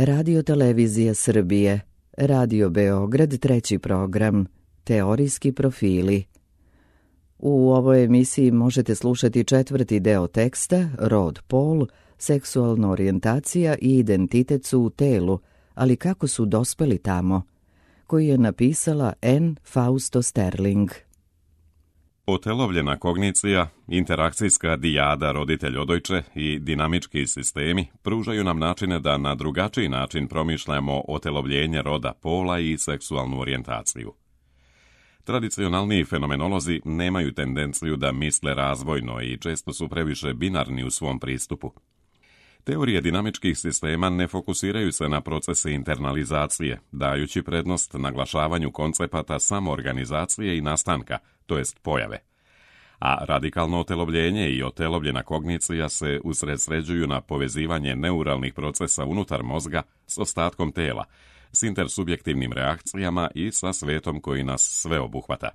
Radio Televizija Srbije, Radio Beograd, treći program, Teorijski profili. U ovoj emisiji možete slušati četvrti deo teksta Rod, pol, seksualna orijentacija i identitet su u telu, ali kako su dospeli tamo, koji je napisala N. Fausto Sterling. Otelovljena kognicija, interakcijska dijada roditelj-odojče i dinamički sistemi pružaju nam načine da na drugačiji način promišljamo otelovljenje roda, pola i seksualnu orijentaciju. Tradicionalniji fenomenolozi nemaju tendenciju da misle razvojno i često su previše binarni u svom pristupu. Teorije dinamičkih sistema ne fokusiraju se na procese internalizacije, dajući prednost naglašavanju koncepata samoorganizacije i nastanka, to jest pojave. A radikalno otelovljenje i otelovljena kognicija se usredsređuju na povezivanje neuralnih procesa unutar mozga s ostatkom tela, s intersubjektivnim reakcijama i sa svetom koji nas sve obuhvata.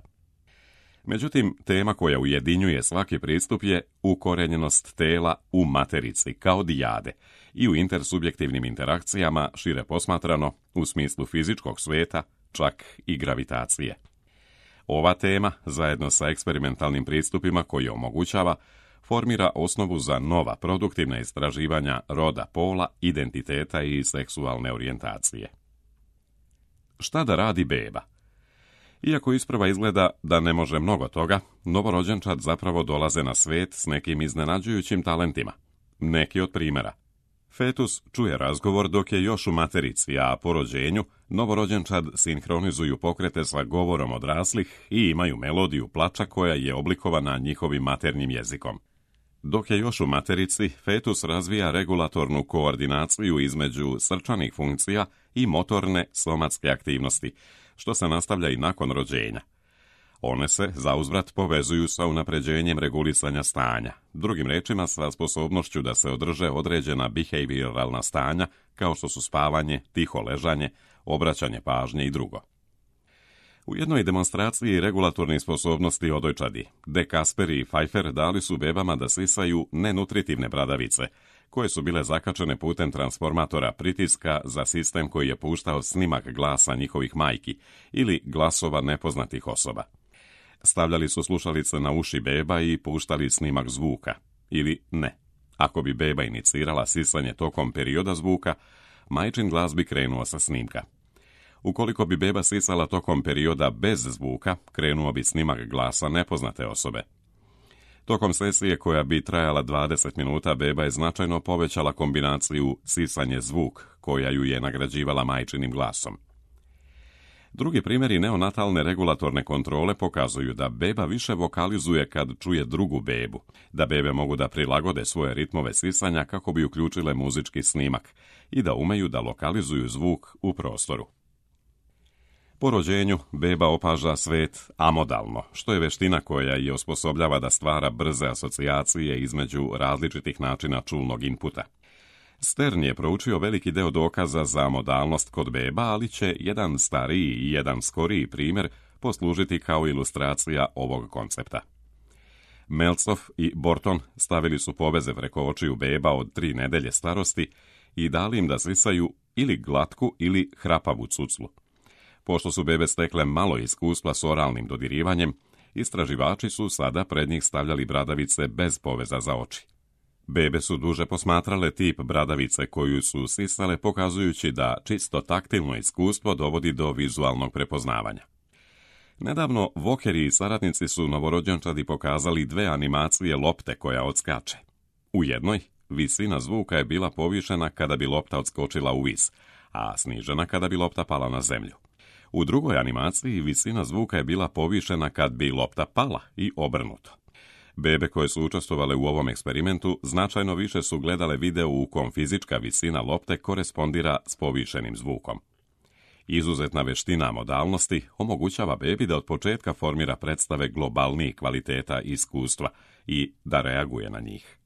Međutim, tema koja ujedinjuje svaki pristup je ukorenjenost tela u materici, kao dijade, i u intersubjektivnim interakcijama, šire posmatrano, u smislu fizičkog sveta, čak i gravitacije. Ova tema, zajedno sa eksperimentalnim pristupima koji omogućava, formira osnovu za nova produktivna istraživanja roda, pola, identiteta i seksualne orijentacije. Šta da radi beba? Iako isprva izgleda da ne može mnogo toga, novorođenčad zapravo dolaze na svet s nekim iznenađujućim talentima. Neki od primjera. Fetus čuje razgovor dok je još u materici, a po rođenju novorođenčad sinhronizuju pokrete sa govorom odraslih i imaju melodiju plača koja je oblikovana njihovim maternjim jezikom. Dok je još u materici, fetus razvija regulatornu koordinaciju između srčanih funkcija i motorne somatske aktivnosti, što se nastavlja i nakon rođenja. One se, zauzvrat, povezuju sa unapređenjem regulisanja stanja, drugim rečima sa sposobnošću da se održe određena behavioralna stanja, kao što su spavanje, tiho ležanje, obraćanje pažnje i drugo. U jednoj demonstraciji regulatornih sposobnosti odojčadi, De Kasperi i Pfeiffer dali su bebama da sisaju nenutritivne bradavice, koje su bile zakačene putem transformatora pritiska za sistem koji je puštao snimak glasa njihovih majki ili glasova nepoznatih osoba. Stavljali su slušalice na uši beba i puštali snimak zvuka, ili ne. Ako bi beba inicirala sisanje tokom perioda zvuka, majčin glas bi krenuo sa snimka. Ukoliko bi beba sisala tokom perioda bez zvuka, krenuo bi snimak glasa nepoznate osobe. Tokom sesije koja bi trajala 20 minuta, beba je značajno povećala kombinaciju sisanje-zvuk, koja ju je nagrađivala majčinim glasom. Drugi primjeri neonatalne regulatorne kontrole pokazuju da beba više vokalizuje kad čuje drugu bebu, da bebe mogu da prilagode svoje ritmove sisanja kako bi uključile muzički snimak i da umeju da lokalizuju zvuk u prostoru. Po rođenju, beba opaža svet amodalno, što je veština koja je osposobljava da stvara brze asocijacije između različitih načina čulnog inputa. Stern je proučio veliki deo dokaza za modalnost kod beba, ali će jedan stariji i jedan skoriji primjer poslužiti kao ilustracija ovog koncepta. Meltzoff i Borton stavili su poveze preko očiju beba od 3 nedelje starosti i dali im da sisaju ili glatku ili hrapavu cuclu. Pošto su bebe stekle malo iskustva s oralnim dodirivanjem, istraživači su sada pred njih stavljali bradavice bez poveza za oči. Bebe su duže posmatrale tip bradavice koju su sisale, pokazujući da čisto taktilno iskustvo dovodi do vizualnog prepoznavanja. Nedavno Walkeri i saradnici su novorođenčadi pokazali 2 animacije lopte koja odskače. U jednoj, visina zvuka je bila povišena kada bi lopta odskočila u vis, a snižena kada bi lopta pala na zemlju. U drugoj animaciji visina zvuka je bila povišena kad bi lopta pala i obrnuto. Bebe koje su učestvovale u ovom eksperimentu značajno više su gledale video u kom fizička visina lopte korespondira s povišenim zvukom. Izuzetna veština modalnosti omogućava bebi da od početka formira predstave globalnijih kvaliteta iskustva i da reaguje na njih.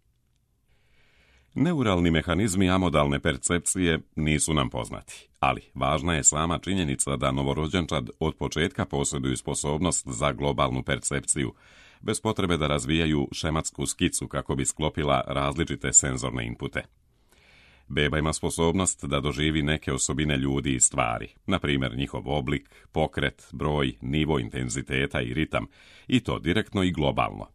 Neuralni mehanizmi amodalne percepcije nisu nam poznati, ali važna je sama činjenica da novorođenčad od početka posjeduju sposobnost za globalnu percepciju, bez potrebe da razvijaju šematsku skicu kako bi sklopila različite senzorne inpute. Beba ima sposobnost da doživi neke osobine ljudi i stvari, na primjer njihov oblik, pokret, broj, nivo intenziteta i ritam, i to direktno i globalno.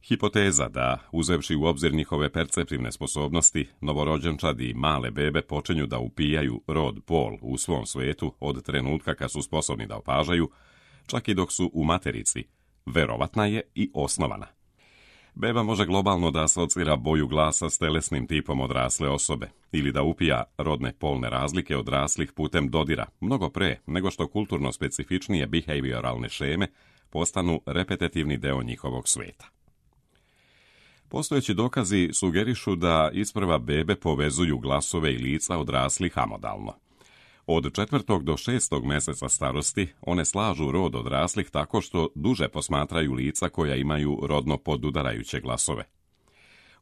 Hipoteza da, uzevši u obzir njihove perceptivne sposobnosti, novorođenčadi i male bebe počinju da upijaju rod pol u svom svetu od trenutka kad su sposobni da opažaju, čak i dok su u materici, verovatna je i osnovana. Beba može globalno da asocira boju glasa s telesnim tipom odrasle osobe ili da upija rodne polne razlike odraslih putem dodira, mnogo pre nego što kulturno specifičnije behavioralne šeme postanu repetitivni deo njihovog sveta. Postojeći dokazi sugerišu da isprva bebe povezuju glasove i lica odraslih amodalno. Od 4. do 6. meseca starosti one slažu rod odraslih tako što duže posmatraju lica koja imaju rodno podudarajuće glasove.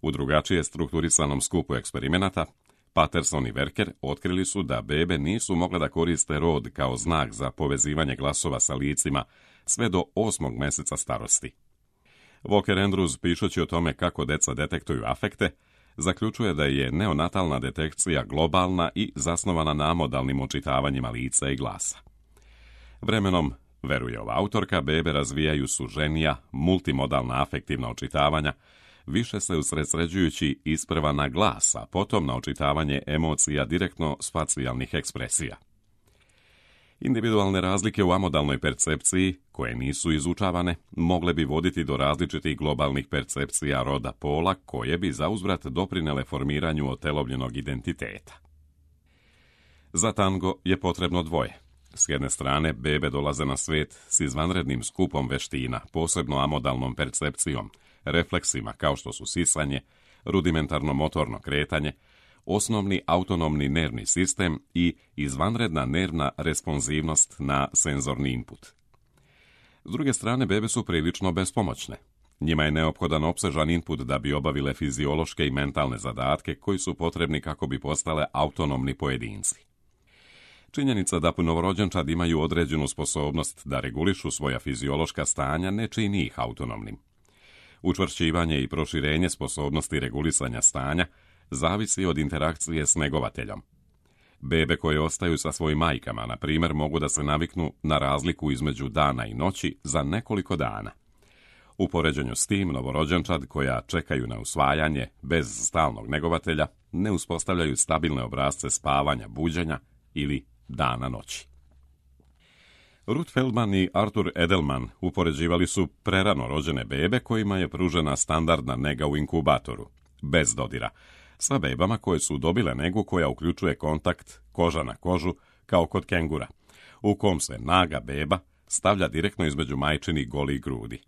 U drugačije strukturisanom skupu eksperimenata, Patterson i Werker otkrili su da bebe nisu mogle da koriste rod kao znak za povezivanje glasova sa licima sve do 8. meseca starosti. Walker Andrews, pišući o tome kako deca detektuju afekte, zaključuje da je neonatalna detekcija globalna i zasnovana na modalnim očitavanjima lica i glasa. Vremenom, veruje ova autorka, bebe razvijaju suženija, multimodalna afektivna očitavanja, više se usredsređujući isprva na glas, a potom na očitavanje emocija direktno s facijalnih ekspresija. Individualne razlike u amodalnoj percepciji, koje nisu izučavane, mogle bi voditi do različitih globalnih percepcija roda pola, koje bi zauzvrat doprinele formiranju otelovljenog identiteta. Za tango je potrebno dvoje. S jedne strane, bebe dolaze na svijet s izvanrednim skupom veština, posebno amodalnom percepcijom, refleksima kao što su sisanje, rudimentarno motorno kretanje, osnovni autonomni nervni sistem i izvanredna nervna responsivnost na senzorni input. S druge strane, bebe su prilično bespomoćne. Njima je neophodan opsežan input da bi obavile fiziološke i mentalne zadatke koji su potrebni kako bi postale autonomni pojedinci. Činjenica da novorođenčad imaju određenu sposobnost da regulišu svoja fiziološka stanja ne čini ih autonomnim. Učvršćivanje i proširenje sposobnosti regulisanja stanja zavisi od interakcije s negovateljom. Bebe koje ostaju sa svojim majkama, na primjer, mogu da se naviknu na razliku između dana i noći za nekoliko dana. U poređenju s tim, novorođenčad koja čekaju na usvajanje bez stalnog negovatelja ne uspostavljaju stabilne obrasce spavanja, buđenja ili dana noći. Ruth Feldman i Arthur Edelman upoređivali su prerano rođene bebe kojima je pružena standardna nega u inkubatoru, bez dodira, sa bebama koje su dobile negu koja uključuje kontakt koža na kožu kao kod kengura, u kom se naga beba stavlja direktno između majčinih golih grudi.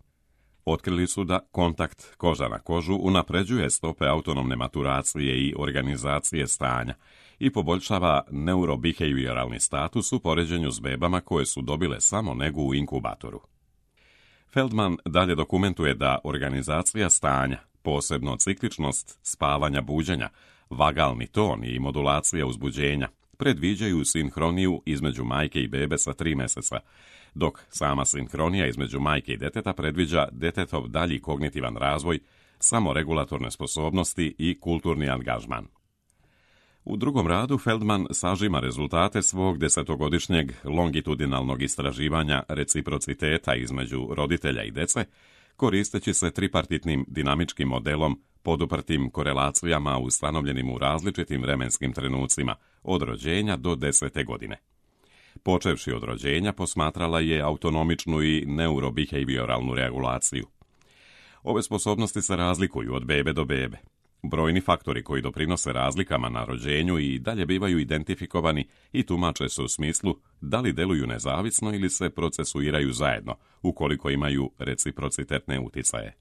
Otkrili su da kontakt koža na kožu unapređuje stope autonomne maturacije i organizacije stanja i poboljšava neurobehavioralni status u poređenju s bebama koje su dobile samo negu u inkubatoru. Feldman dalje dokumentuje da organizacija stanja, posebno cikličnost spavanja buđenja, vagalni ton i modulacija uzbuđenja, predviđaju sinhroniju između majke i bebe sa 3 meseca, dok sama sinhronija između majke i deteta predviđa detetov dalji kognitivan razvoj, samoregulatorne sposobnosti i kulturni angažman. U drugom radu Feldman sažima rezultate svog 10-godišnjeg longitudinalnog istraživanja reciprociteta između roditelja i dece, koristeći se tripartitnim dinamičkim modelom poduprtim korelacijama ustanovljenim u različitim vremenskim trenucima, od rođenja do 10. godine. Počevši od rođenja, posmatrala je autonomičnu i neurobehavioralnu regulaciju. Ove sposobnosti se razlikuju od bebe do bebe. Brojni faktori koji doprinose razlikama na rođenju i dalje bivaju identifikovani i tumače se u smislu da li deluju nezavisno ili se procesuiraju zajedno, ukoliko imaju reciprocitetne uticaje.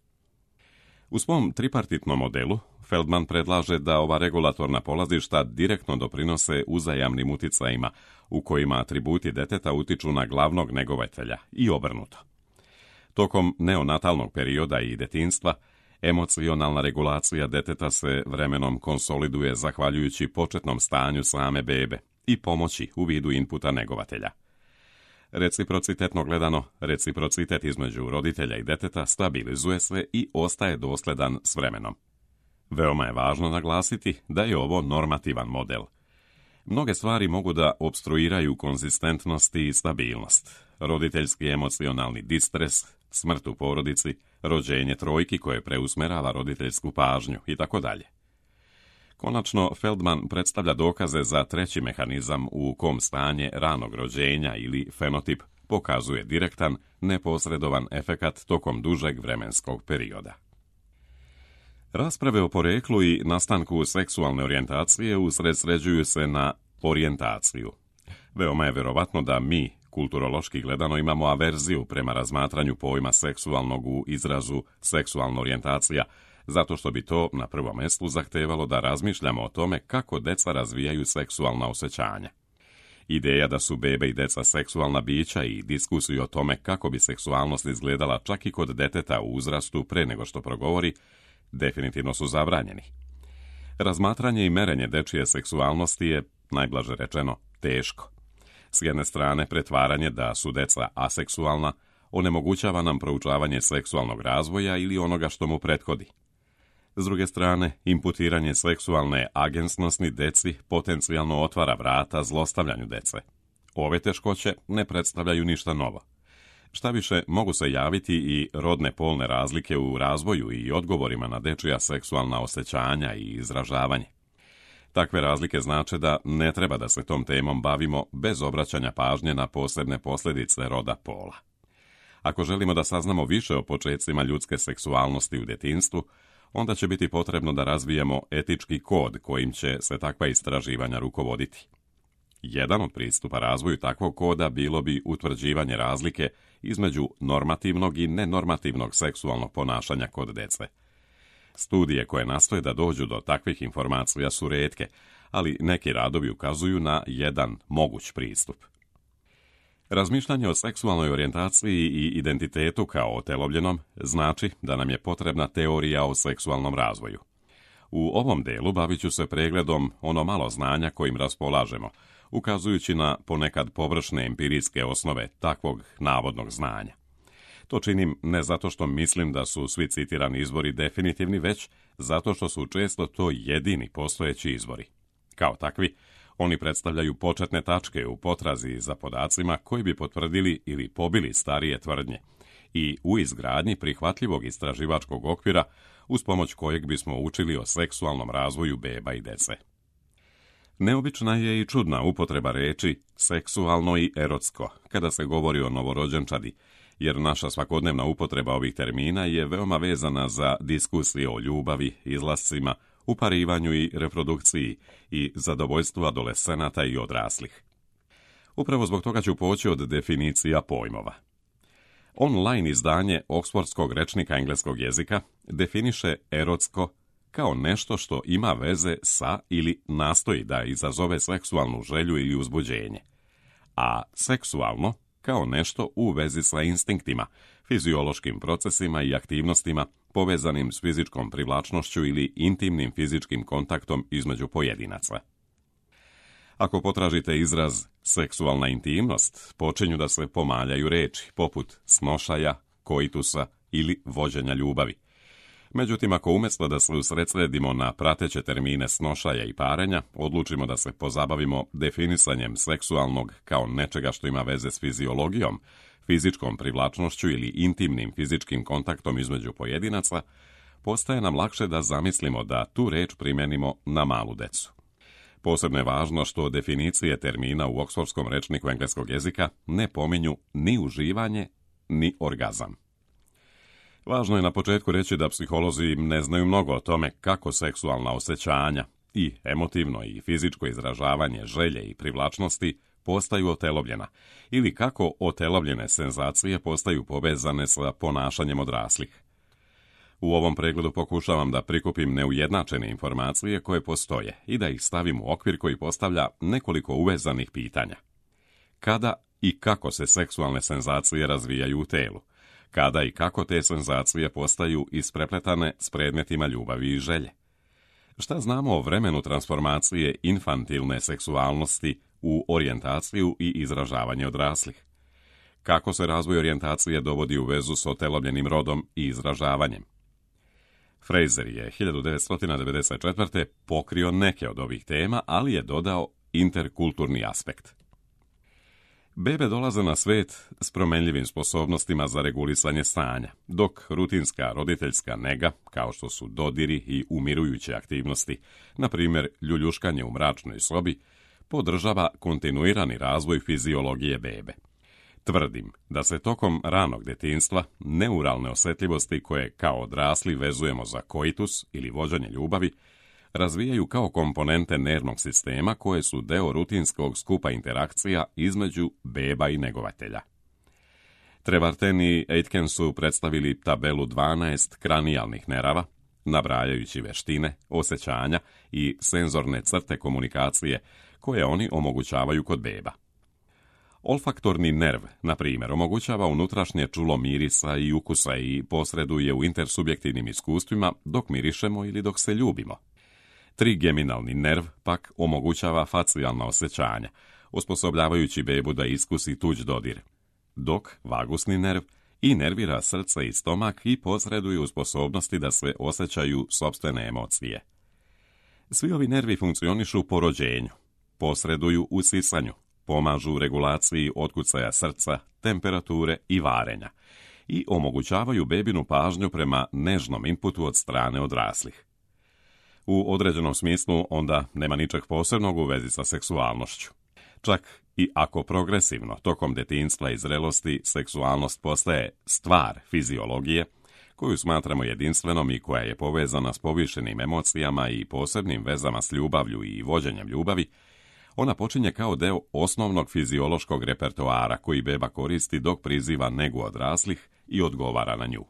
U svom tripartitnom modelu, Feldman predlaže da ova regulatorna polazišta direktno doprinose uzajamnim uticajima, u kojima atributi deteta utiču na glavnog negovatelja i obrnuto. Tokom neonatalnog perioda i detinjstva, emocionalna regulacija deteta se vremenom konsoliduje zahvaljujući početnom stanju same bebe i pomoći u vidu inputa negovatelja. Reciprocitetno gledano, reciprocitet između roditelja i deteta stabilizuje se i ostaje dosledan s vremenom. Veoma je važno naglasiti da je ovo normativan model. Mnoge stvari mogu da opstruiraju konzistentnost i stabilnost. Roditeljski emocionalni distres, smrt u porodici, rođenje trojki koje preusmerava roditeljsku pažnju itd. Konačno, Feldman predstavlja dokaze za treći mehanizam u kom stanje ranog rođenja ili fenotip pokazuje direktan, neposredovan efekat tokom dužeg vremenskog perioda. Rasprave o poreklu i nastanku seksualne orijentacije usredsređuju se na orijentaciju. Veoma je vjerovatno da mi, kulturološki gledano, imamo averziju prema razmatranju pojma seksualnog u izrazu seksualna orijentacija, zato što bi to na prvom mjestu zahtevalo da razmišljamo o tome kako deca razvijaju seksualna osjećanja. Ideja da su bebe i deca seksualna bića i diskusiju o tome kako bi seksualnost izgledala čak i kod deteta u uzrastu pre nego što progovori, definitivno su zabranjeni. Razmatranje i merenje dečije seksualnosti je, najblaže rečeno, teško. S jedne strane, pretvaranje da su deca aseksualna onemogućava nam proučavanje seksualnog razvoja ili onoga što mu prethodi. S druge strane, imputiranje seksualne agensnosti deci potencijalno otvara vrata zlostavljanju dece. Ove teškoće ne predstavljaju ništa novo. Šta više, mogu se javiti i rodne polne razlike u razvoju i odgovorima na dečija seksualna osjećanja i izražavanje. Takve razlike znače da ne treba da se tom temom bavimo bez obraćanja pažnje na posebne posljedice roda pola. Ako želimo da saznamo više o počecima ljudske seksualnosti u djetinjstvu, onda će biti potrebno da razvijemo etički kod kojim će se takva istraživanja rukovoditi. Jedan od pristupa razvoju takvog koda bilo bi utvrđivanje razlike između normativnog i nenormativnog seksualnog ponašanja kod dece. Studije koje nastoje da dođu do takvih informacija su retke, ali neki radovi ukazuju na jedan moguć pristup. Razmišljanje o seksualnoj orijentaciji i identitetu kao otelovljenom znači da nam je potrebna teorija o seksualnom razvoju. U ovom delu bavit ću se pregledom ono malo znanja kojim raspolažemo, ukazujući na ponekad površne empirijske osnove takvog navodnog znanja. To činim ne zato što mislim da su svi citirani izvori definitivni, već zato što su često to jedini postojeći izvori. Kao takvi, oni predstavljaju početne tačke u potrazi za podacima koji bi potvrdili ili pobili starije tvrdnje i u izgradnji prihvatljivog istraživačkog okvira uz pomoć kojeg bismo učili o seksualnom razvoju beba i dece. Neobična je i čudna upotreba reči seksualno i erotsko kada se govori o novorođenčadi, jer naša svakodnevna upotreba ovih termina je veoma vezana za diskusije o ljubavi, izlascima, uparivanju i reprodukciji i zadovoljstvu adolescenata i odraslih. Upravo zbog toga ću poći od definicija pojmova. Online izdanje Oksfordskog rečnika engleskog jezika definiše erotsko kao nešto što ima veze sa ili nastoji da izazove seksualnu želju ili uzbuđenje, a seksualno kao nešto u vezi sa instinktima, fiziološkim procesima i aktivnostima povezanim s fizičkom privlačnošću ili intimnim fizičkim kontaktom između pojedinaca. Ako potražite izraz seksualna intimnost, počinju da se pomaljaju reči, poput snošaja, koitusa ili vođenja ljubavi. Međutim, ako umjesto da se usredsredimo na prateće termine snošaja i parenja, odlučimo da se pozabavimo definisanjem seksualnog kao nečega što ima veze s fiziologijom, fizičkom privlačnošću ili intimnim fizičkim kontaktom između pojedinaca, postaje nam lakše da zamislimo da tu reč primjenimo na malu decu. Posebno je važno što definicije termina u Oksfordskom rečniku engleskog jezika ne pominju ni uživanje, ni orgazam. Važno je na početku reći da psiholozi ne znaju mnogo o tome kako seksualna osjećanja i emotivno i fizičko izražavanje želje i privlačnosti postaju otelovljena ili kako otelovljene senzacije postaju povezane sa ponašanjem odraslih. U ovom pregledu pokušavam da prikupim neujednačene informacije koje postoje i da ih stavim u okvir koji postavlja nekoliko uvezanih pitanja. Kada i kako se seksualne senzacije razvijaju u telu? Kada i kako te senzacije postaju isprepletane s predmetima ljubavi i želje? Šta znamo o vremenu transformacije infantilne seksualnosti u orijentaciju i izražavanje odraslih? Kako se razvoj orijentacije dovodi u vezu s otelovljenim rodom i izražavanjem? Fraser je 1994. pokrio neke od ovih tema, ali je dodao interkulturni aspekt. Bebe dolaze na svet s promenljivim sposobnostima za regulisanje stanja, dok rutinska roditeljska nega, kao što su dodiri i umirujuće aktivnosti, na primjer ljuljuškanje u mračnoj sobi, podržava kontinuirani razvoj fiziologije bebe. Tvrdim da se tokom ranog djetinjstva neuralne osjetljivosti koje kao odrasli vezujemo za koitus ili vođenje ljubavi razvijaju kao komponente nervnog sistema koje su deo rutinskog skupa interakcija između beba i negovatelja. Trevarten i Aitken su predstavili tabelu 12 kranijalnih nerava, nabrajajući veštine, osjećanja i senzorne crte komunikacije koje oni omogućavaju kod beba. Olfaktorni nerv, na primjer, omogućava unutrašnje čulo mirisa i ukusa i posreduje u intersubjektivnim iskustvima dok mirišemo ili dok se ljubimo. Trigeminalni nerv pak omogućava facijalna osjećanja, osposobljavajući bebu da iskusi tuđ dodir, dok vagusni nerv inervira srce i stomak i posreduje u sposobnosti da se osjećaju sopstvene emocije. Svi ovi nervi funkcionišu po rođenju, posreduju u sisanju, pomažu u regulaciji otkucaja srca, temperature i varenja i omogućavaju bebinu pažnju prema nežnom inputu od strane odraslih. U određenom smislu onda nema ničeg posebnog u vezi sa seksualnošću. Čak i ako progresivno tokom djetinjstva i zrelosti seksualnost postaje stvar fiziologije, koju smatramo jedinstvenom i koja je povezana s povišenim emocijama i posebnim vezama s ljubavlju i vođenjem ljubavi, ona počinje kao deo osnovnog fiziološkog repertoara koji beba koristi dok priziva negu odraslih i odgovara na nju.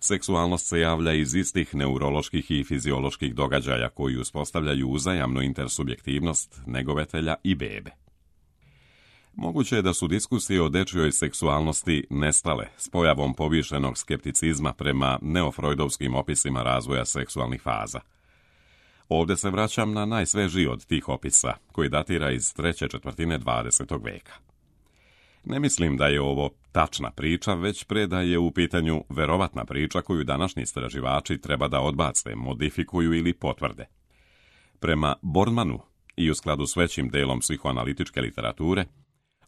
Seksualnost se javlja iz istih neuroloških i fizioloških događaja koji uspostavljaju uzajamnu intersubjektivnost negovatelja i bebe. Moguće je da su diskusije o dečjoj seksualnosti nestale s pojavom povišenog skepticizma prema neofrojdovskim opisima razvoja seksualnih faza. Ovdje se vraćam na najsvežiji od tih opisa, koji datira iz 3/4 20. veka. Ne mislim da je ovo tačna priča, već pre da je u pitanju verovatna priča koju današnji istraživači treba da odbace, modifikuju ili potvrde. Prema Bormanu i u skladu s većim delom psihoanalitičke literature,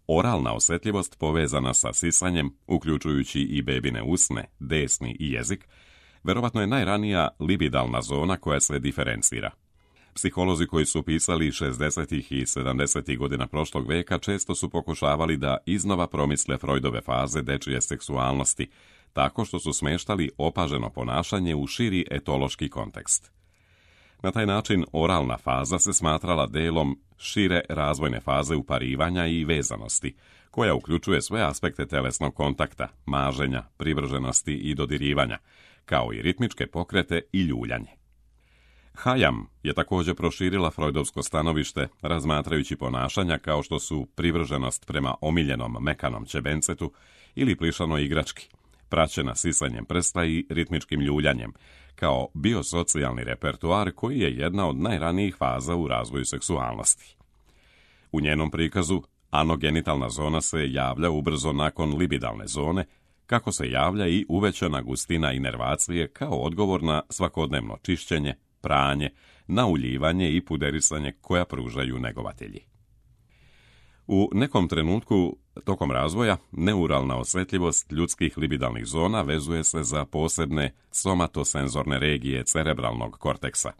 oralna osjetljivost povezana sa sisanjem, uključujući i bebine usne, desni i jezik, verovatno je najranija libidalna zona koja se diferencira. Psiholozi koji su pisali 60. i 70. godina prošlog veka često su pokušavali da iznova promisle Freudove faze dečije seksualnosti, tako što su smeštali opaženo ponašanje u širi etološki kontekst. Na taj način oralna faza se smatrala delom šire razvojne faze uparivanja i vezanosti, koja uključuje sve aspekte telesnog kontakta, maženja, privrženosti i dodirivanja, kao i ritmičke pokrete i ljuljanje. Hayam je također proširila freudovsko stanovište razmatrajući ponašanja kao što su privrženost prema omiljenom mekanom ćebencetu ili plišanoj igrački, praćena sisanjem prsta i ritmičkim ljuljanjem, kao biosocijalni repertoar koji je jedna od najranijih faza u razvoju seksualnosti. U njenom prikazu anogenitalna zona se javlja ubrzo nakon libidalne zone, kako se javlja i uvećana gustina inervacije kao odgovor na svakodnevno čišćenje, pranje, nauljivanje i puderisanje koja pružaju negovatelji. U nekom trenutku tokom razvoja neuralna osjetljivost ljudskih libidalnih zona vezuje se za posebne somatosenzorne regije cerebralnog korteksa.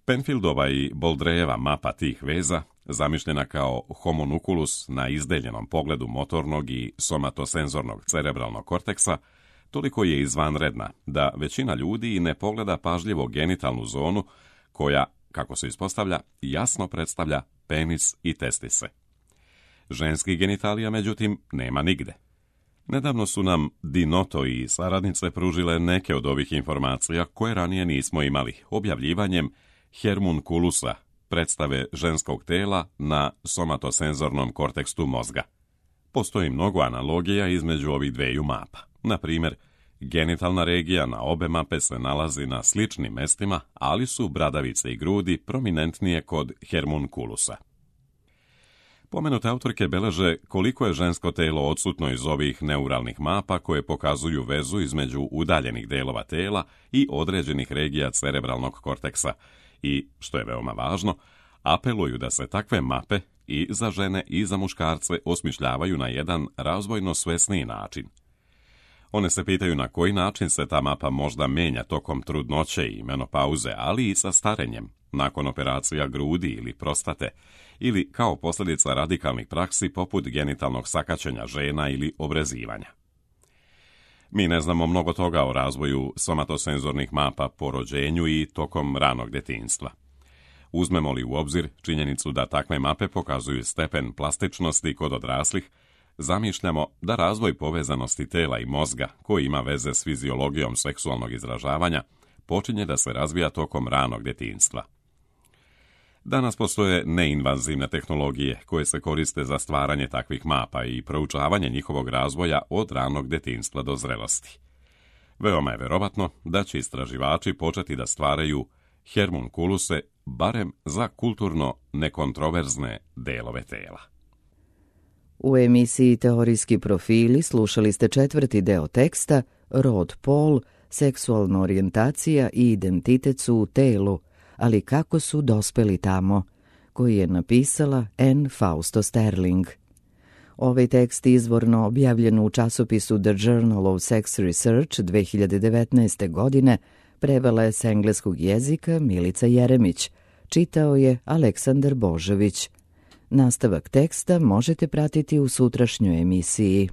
Penfieldova i Boldrejeva mapa tih veza, zamišljena kao homunculus na izdeljenom pogledu motornog i somatosenzornog cerebralnog korteksa, toliko je izvanredna da većina ljudi ne pogleda pažljivo genitalnu zonu koja, kako se ispostavlja, jasno predstavlja penis i testise. Ženskih genitalija, međutim, nema nigde. Nedavno su nam Dinoto i saradnice pružile neke od ovih informacija koje ranije nismo imali, objavljivanjem homunculusa, predstave ženskog tela na somatosenzornom kortekstu mozga. Postoji mnogo analogija između ovih dveju mapa. Na primjer, genitalna regija na obe mape se nalazi na sličnim mestima, ali su bradavice i grudi prominentnije kod homunculusa. Pomenute autorke beleže koliko je žensko telo odsutno iz ovih neuralnih mapa koje pokazuju vezu između udaljenih delova tela i određenih regija cerebralnog korteksa i, što je veoma važno, apeluju da se takve mape i za žene i za muškarce osmišljavaju na jedan razvojno svesniji način. One se pitaju na koji način se ta mapa možda menja tokom trudnoće i menopauze, ali i sa starenjem, nakon operacija grudi ili prostate, ili kao posljedica radikalnih praksi poput genitalnog sakaćenja žena ili obrezivanja. Mi ne znamo mnogo toga o razvoju somatosenzornih mapa po rođenju i tokom ranog detinjstva. Uzmemo li u obzir činjenicu da takve mape pokazuju stepen plastičnosti kod odraslih, zamišljamo da razvoj povezanosti tela i mozga, koji ima veze s fiziologijom seksualnog izražavanja, počinje da se razvija tokom ranog detinjstva. Danas postoje neinvazivne tehnologije koje se koriste za stvaranje takvih mapa i proučavanje njihovog razvoja od ranog detinjstva do zrelosti. Veoma je verovatno da će istraživači početi da stvaraju hermunkuluse barem za kulturno nekontroverzne delove tela. U emisiji Teorijski profili slušali ste 4. deo teksta Rod, pol, seksualna orijentacija i identitet su u telu, ali kako su dospeli tamo, koji je napisala Anne Fausto Sterling. Ovaj tekst izvorno objavljen u časopisu The Journal of Sex Research 2019. godine prevela je s engleskog jezika Milica Jeremić, čitao je Aleksandar Božović. Nastavak teksta možete pratiti u sutrašnjoj emisiji.